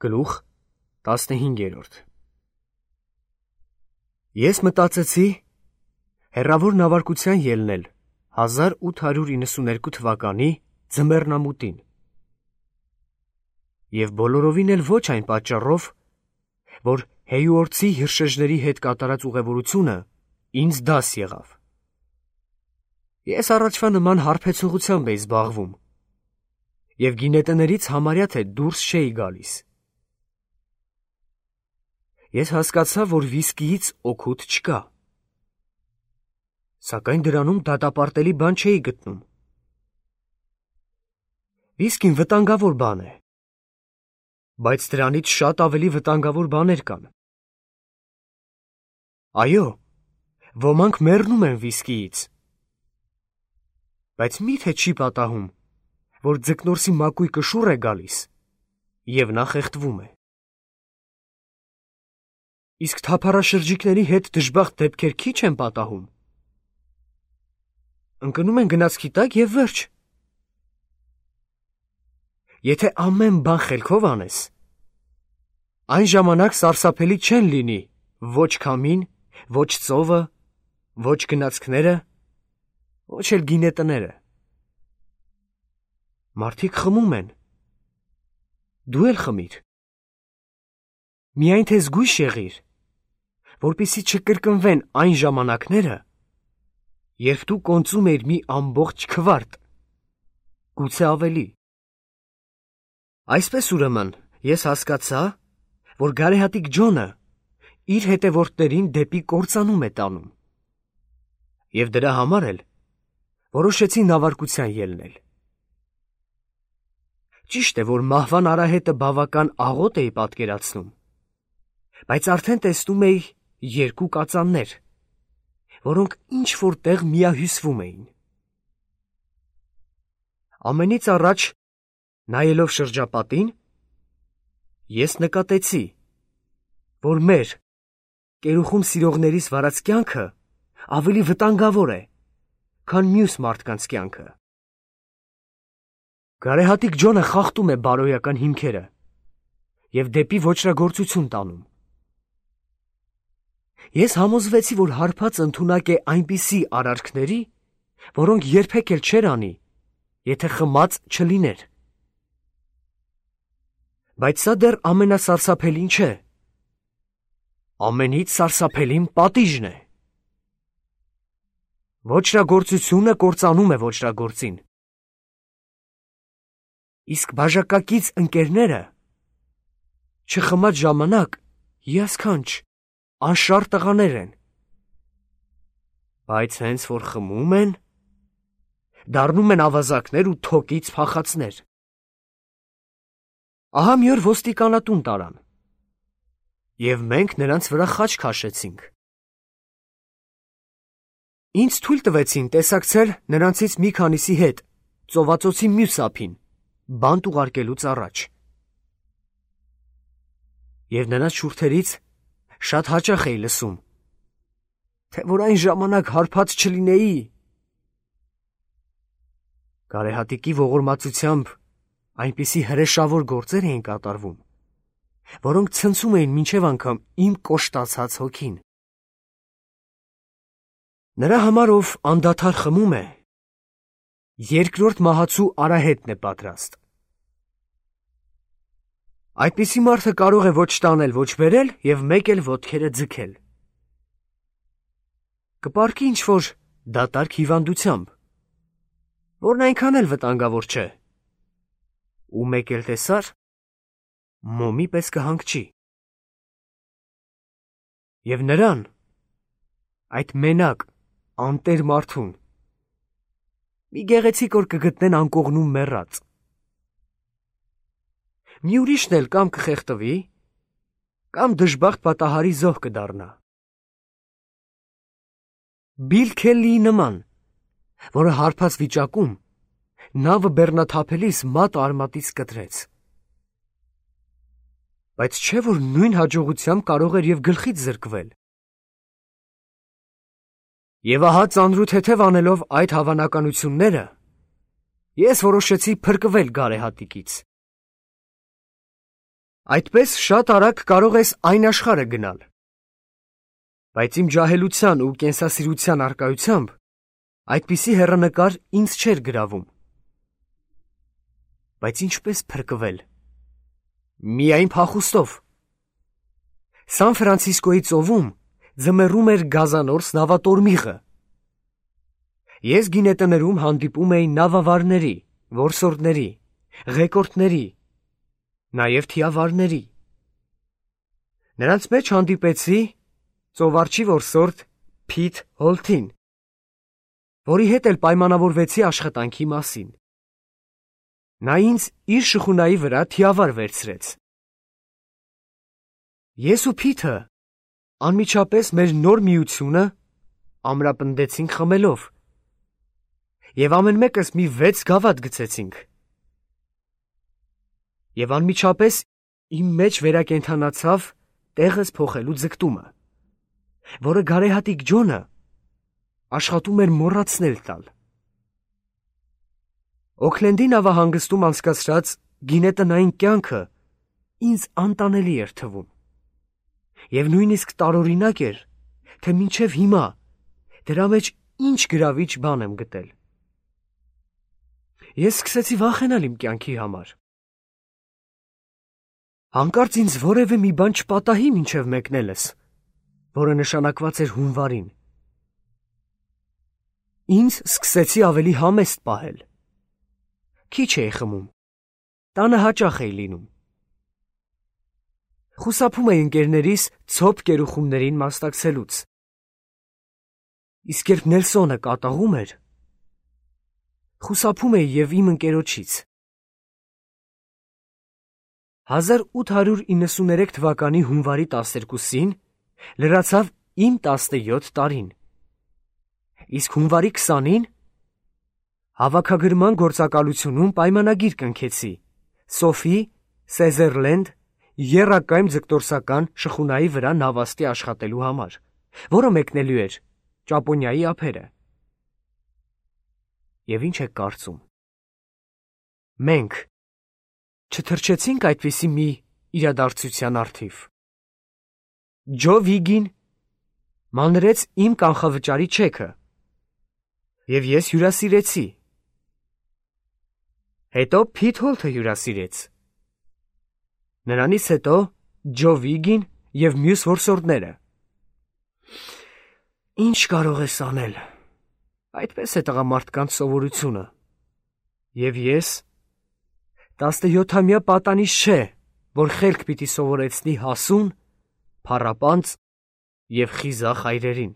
Գլուխ 15. Ես մտածեցի հեռավոր նավարկության ելնել 1892 թվականի ձմեռնամուտին և բոլորովին էլ ոչ այն պատճառով, որ Հեյուորթսի հրշեջների հետ կատարած ուղևորությունը ինձ դաս եղավ։ Ես առաջվա նման հարբեցողությամբ էի զբաղվում և գինետներից համարյա թե դուրս չէի գալիս։ Ես հասկացա, որ վիսկիից օգուտ չկա, սակայն դրանում դատապարտելի բան չէի գտնում։ Վիսկին վտանգավոր բան է, բայց դրանից շատ ավելի վտանգավոր բաներ կան։ Այո, ոմանք մեռնում են վիսկիից, բայց մի՞թե չի պատահում, որ ձկնորսի մակույկը շուռ է գալիս և նա խեղդվում է։ Իսկ թափառաշրջիկների հետ դժբախտ դեպքեր քիչ են պատահում։ Ընկնում են գնացքի տակ և վերջ։ Եթե ամեն բան խելքով անես, այն ժամանակ սարսափելի չեն լինի ոչ քամին, ոչ ծովը, ոչ գնացքները, ոչ էլ գինետները։ Մարդիկ խմում են, դու էլ խմիր։ Միայն թե զգույշ եղիր, որպեսզի չկրկնվեն այն ժամանակները, երբ դու կոնծում էիր մի ամբողջ քվարտ, գուցե ավելի։ Այսպես ուրեմն ես հասկացա, որ գարեհատիկ Ջոնը իր հետևորդներին դեպի կործանում է տանում և դրա համար էլ որոշեցի նավարկության ելնել։ Ճիշտ է, որ մահվան արահետը բավական աղոտ էի պատկերացնում, բայց արդեն տեսնում էի երկու կածաններ, որոնք ինչ-որ տեղ միահյուսվում էին։ Ամենից առաջ, նայելով շրջապատին, ես նկատեցի, որ մեր կերուխում սիրողներիս վարած կյանքը ավելի վտանգավոր է, քան մյուս մարդկանց կյանքը։ Գարեհատիկ Ջոնը խախտում է բարոյական հիմքերը և դեպի ոճրագործություն տանում։ Ես համոզվեցի, որ հարբած ընդունակ է այնպիսի արարքների, որոնք երբեք էլ չէր անի, եթե խմած չլիներ։ Բայց սա դեռ ամենասարսափելին չէ։ Ամենից սարսափելին պատիժն է։ Ոճրագործությունը կործանում է ոճրագործին։ Իսկ բաժակակից ընկերները չխմած ժամանակ հիասքանչ, անշարժ տղաներ են, բայց հենց որ խմում են, դառնում են ավազակներ ու թոկից փախածներ։ Ահա մի օր ոստիկանատուն տարան, և մենք նրանց վրա խաչ քաշեցինք։ Ինձ թույլ տվեցին տեսակցել նրանցից մի քանիսի հետ ծովածոցի մյուս ափին, բանտ ուղարկելուց առաջ։ Եվ նրանց շուրթերից շատ հաճախ էի լսում, թե որ այն ժամանակ հարբած չլինեի։ Գարեհատիկի ողորմածությամբ այնպիսի հրեշավոր գործեր էին կատարվում, որոնք ցնցում էին մինչև անգամ իմ կոշտացած հոգին։ Նրա համար, ով անդադար խմում է, երկրորդ մահացու արահետն է պատրաստ։ Այդպիսի մարդը կարող է ոչ տանել, ոչ բերել և մեկ էլ ոտքերը ձգել։ Կպառկի ինչ-որ դատարկ հիվանդությամբ, որն այնքան էլ վտանգավոր չէ, ու մեկ էլ տեսար, մոմի պես կհանգչի։ Եվ նրան, այդ մենակ, անտեր մարդուն, մի գեղեցիկ օր կգտնեն անկողնում մեռած։ Մի ուրիշն էլ կամ կխեղդվի, կամ դժբախտ պատահարի զոհ կդառնա։ Բիլ Քելլիի նման, որը հարբած վիճակում նավը բեռնաթափելիս մատը արմատից կտրեց։ Բայց չէ՞ որ նույն հաջողությամբ կարող էր և գլխից զրկվել։ Եվ ահա ծանրութեթև անելով այդ հավանականությունները, ես որոշեցի փրկվել գարեհատիկից։ Այդպես շատ արագ կարող ես այն աշխարհը գնալ։ Բայց իմ ջահելության ու կենսասիրության առկայությամբ այդպիսի հեռանկար ինձ չէր գրավում։ Բայց ինչպես փրկվել։ Միայն փախուստով։ Սան Ֆրանցիսկոյի ծովում ձմեռում էր գազանորս նավատորմիղը։ Ես գինետներում հանդիպում էի նավավարների, որսորդների, ղեկորդների, նաև թիավարների։ Նրանց մեջ հանդիպեցի ծովարջի որսորդ Փիթ Հոլթին, որի հետ էլ պայմանավորվեցի աշխատանքի մասին։ Նա ինձ իր շխունայի վրա թիավար վերցրեց։ Ես ու Փիթը անմիջապես մեր նոր միությունը ամրապնդեցինք խմելով, և ամեն մեկս մի 6 գավաթ գցեցինք։ Եվ անմիջապես իմ մեջ վերակենդանացավ տեղս փոխելու ձգտումը, որը գարեհատիկ Ջոնը աշխատում էր մոռացնել տալ։ Օքլենդի նավահանգստում անցկացրած գինետնային կյանքը ինձ անտանելի էր թվում, և նույնիսկ տարօրինակ էր, թե մինչև հիմա դրա մեջ ինչ գրավիչ բան եմ գտել։ Ես սկսեցի վախենալ իմ կյանքի համար։ Հանկարծ ինձ որևէ մի բան չպատահի մինչև մեկնելս, որը նշանակված էր հունվարին։ Ինձ սկսեցի ավելի համեստ պահել։ Քիչ էի խմում, տանը հաճախ էի լինում։ Խուսափում էի ընկերներիս ցոփ կերուխումներին մասնակցելուց։ Իսկ երբ Նելսոնը կատաղում էր, խուսափում էի և իմ ընկերոջից։ 1893 թվականի հունվարի 12-ին լրացավ իմ 17 տարին, իսկ հունվարի 20-ին հավաքագրման գործակալությունում պայմանագիր կնքեցի Սոֆի Սեզերլենդ եռակայմ ձգտորսական շխունայի վրա նավաստի աշխատելու համար, որը մեկնելու էր Ճապոնիայի ափերը։ Եվ ինչ եք կարծում։ Մենք չթռչեցինք այդպիսի մի իրադարձության առթիվ։ Ջո Վիգին մանրեց իմ կանխավճարի չեքը, և ես հյուրասիրեցի։ Հետո Փիթ Հոլթը հյուրասիրեց։ Նրանից հետո Ջո Վիգին և մյուս որսորդները։ Ինչ կարող ես անել։ Այդպես է տղամարդկանց սովորությունը։ Եվ ես 17-ամյա պատանիշ չէ, որ խելք պիտի սովորեցնի հասուն, փառապանծ և խիզախ այրերին։